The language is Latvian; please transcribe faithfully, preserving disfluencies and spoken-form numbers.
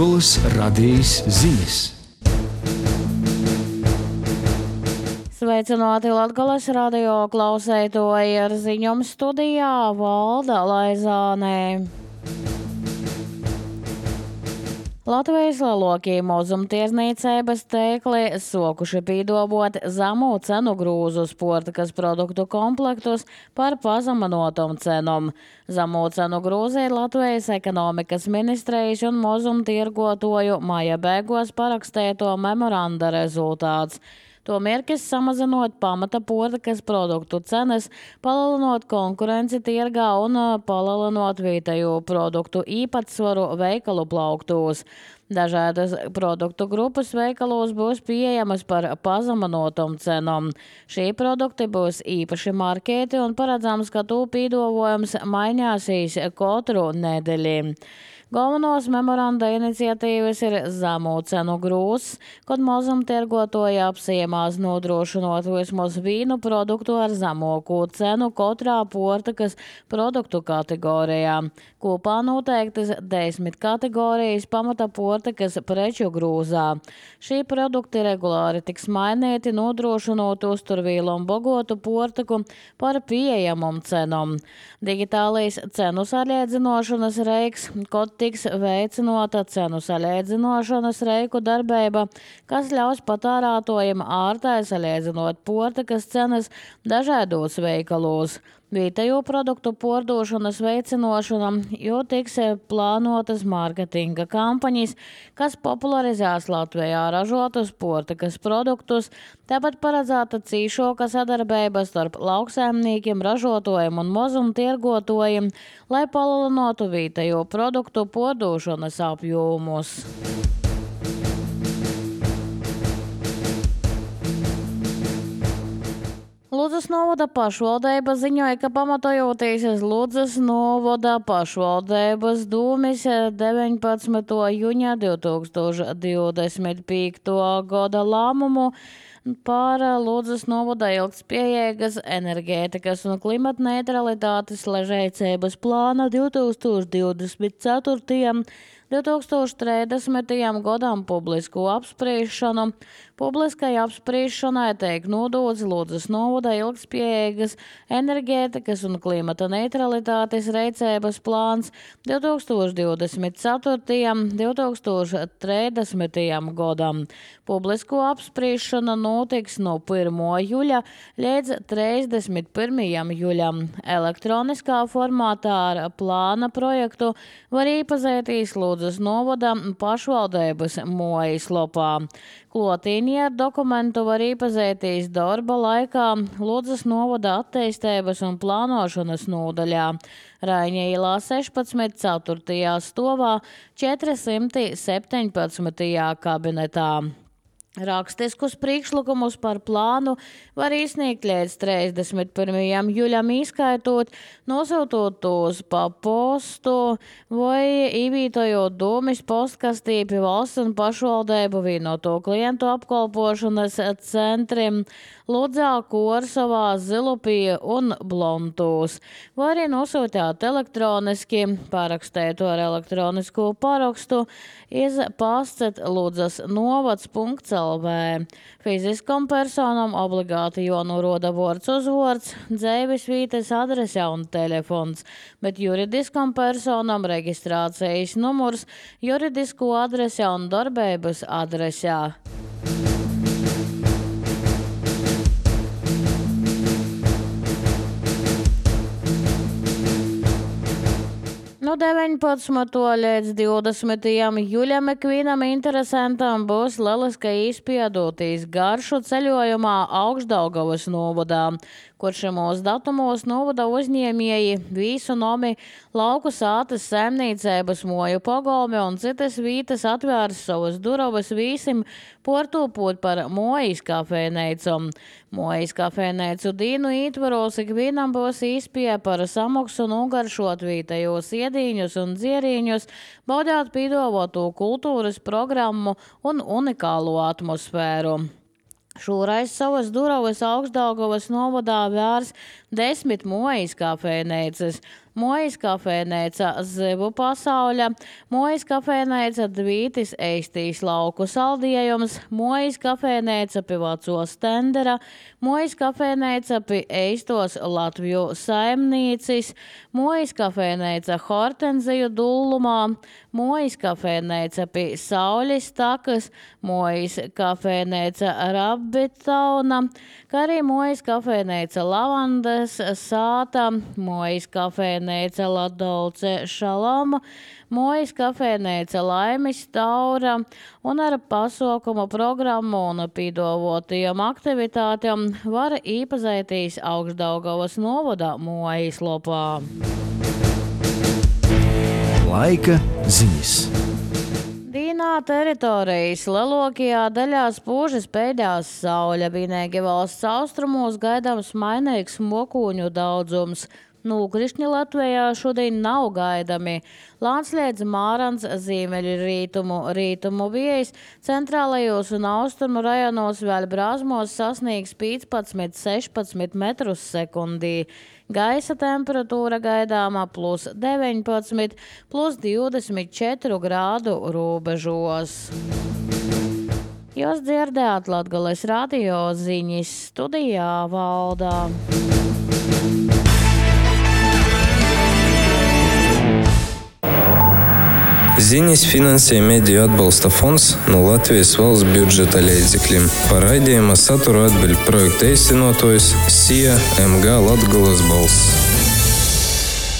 Latgolas radījis ziņas. Sveicināti Latgolas radio klausētoji, ar ziņām studijā Valda Laizānē. Latvijas lielokī mazumtirdzniecības tīkli sokuši pīdobot zemu cenu grūzu sportikas produktu komplektus par pazeminotom cenām. Zemu cenu grūzi ir Latvijas ekonomikas ministrijas un mazumtirgotoju maija beigās parakstēto memoranda rezultāts. To mērķis samazinot pamata portikas produktu cenas, palielinot konkurenci tirgā un palielinot vietējo produktu īpatsvaru veikalu plauktos. Dažādas produktu grupas veikalos būs pieejamas par pazeminotom cenām. Šī produkti būs īpaši markēti un paredzams, ka to pīdovojums mainīsies katru nedēļu. Galvenos memoranda iniciatīvas ir zemu cenu grūzs, kad mazumtirgotoji apsiemās nodrošinot vismaz vīnu produktu ar zemāko cenu katrā portikas produktu kategorijā. Kopā noteiktas desmit kategorijas pamata portikas preču grūzā. Šī produkti regulāri tiks mainīti, nodrošinot uzturvīlu un bogotu portiku par pieejamam cenam. Digitālais cenu salīdzinošanas reiks, kad tiks veicinota cenu salīdzinošanas reiku darbība, kas ļaus patērētājiem ārtai salīdzinot portikas cenas dažādos veikalos. Vietējo produktu pārdošanas veicināšana, jo tiks plānotas mārketinga kampaņas, kas popularizēs Latvijā ražotus portikas produktus, tāpat paredzēta cīšāka sadarbība starp lauksaimniekiem, ražotājiem un mazumtirgotājiem, lai palielinātu vietējo produktu pārdošanas apjomus. Ludzas novada pašvaldība ziņoja, ka pamatojoties uz Ludzas novada pašvaldības dūmis deviņpadsmitā jūņa divi tūkstoši divdesmit piektajā gada lēmumu par Ludzas novada ilgtspējīgas enerģētikas un klimata neutralitātes ležēcības plāna divi tūkstoši divdesmit ceturtajam līdz divi tūkstoši trīsdesmitajam gadam publisku apspriešanu. Publiskai apspriešanai tiek nodots Ludzas novada ilgtspējīgas enerģētikas un klimata neutralitātes rīcības plāns divi tūkstoši divdesmit ceturtajam līdz divi tūkstoši trīsdesmitajam gadam. Publisko apspriešana notiks no pirmā jūļa līdz trīsdesmit pirmajam jūļam. Elektroniskā formātā ar plāna projektu var iepazīties Ludzas novada pašvaldības mājaslapā. Klotīnī ar dokumentu var iepazīties darba laikā Ludzas novada attīstības un plānošanas nodaļā. Raiņa ielā sešpadsmit ceturtajā stāvā četrsimt septiņpadsmitajā kabinetā. Rakstiskus priekšlikumus par plānu var izsniegt līdz trīsdesmit pirmajam jūļam, izskaitot, nosūtot tos pa postu vai ievietojot dūmis postkastī pie valsts un pašvaldību vienoto klientu apkalpošanas centriem Ludzā, Korsavā, Zilupī un Blontūs. Vai arī nosūtāt elektroniski, parakstēt ar elektronisku parakstu iz pastet ludzas novads punkts el vē. Fiziskam personam obligāti jānoroda vārds uzvārds, dzīves vietas adrese un telefons, bet juridiskam personam reģistrācijas numurs, juridisko adrese un darbības adresē. No deviņpadsmitā līdz divdesmitajam jūļam ikvienam interesantam būs lieliska izpiedoties garšu ceļojumā Augšdaugavas novadā, kur šimos datumos novada uzņēmēji visu nomi lauku sātas saimniecības moju pagalmi un citas vītas atvērs savas durovas vīsim portūpot par mojas kafejneicu. Mojas kafejneicu dīnu ietvaros ikvienam būs izpie par samaksu nogaršot vietējos iedīņus un dzierīņus, baudāt pīdavotu kultūras programmu un unikālo atmosfēru. Šoreiz savas durovas Augšdaugavas novadā vērs desmit Mojas kafejnīcas, Mojas kafejnīca Zivu pasauļa, Mojas kafejnīca Dvītis Eistīs lauku saldējums, Mojas kafejnīca pi Vaco Stendera, Mojas kafejnīca pi Eistos Latviju saimnīcis, Mojas kafejnīca Hortenziju dullumā, Mojas kafejnīca pi Saulis takas, Mojas kafejnīca Rabbitauna, kā arī Mojas kafejnīca Lavandas sāta, Mojas kafejnīca Ladolce Šaloma, Mojas kafejnīca Laimis Taura un ar pasaukumu programmu un pīdavotajām aktivitātēm var īpazīties Augšdaugavas novada Mojas lopā. Laika ziņas. Dīnā teritorijas lielākajā daļā spūžas pēdējās saule, vienīgi valsts austrumos gaidāms mainīgs mokūņu daudzums. Nūkrišņi Latvijā šodien nav gaidami. Lānsliedz Mārans ziemeļu rītumu, rītumu viejas, centrālajos un austrumu rajonos vēl brāzmos sasniegs piecpadsmit sešpadsmit metrus sekundī. Gaisa temperatūra gaidāmā plus deviņpadsmit, plus divdesmit četri grādu robežos. Jūs dzirdējāt Latgales radio ziņas, studijā Valdā. Ziņas finansē Mediju atbalsta fonds no Latvijas valsts budžeta līdzekļiem. Par raidījuma saturu atbild projekta īstenotājs S I A M G Latgales balss.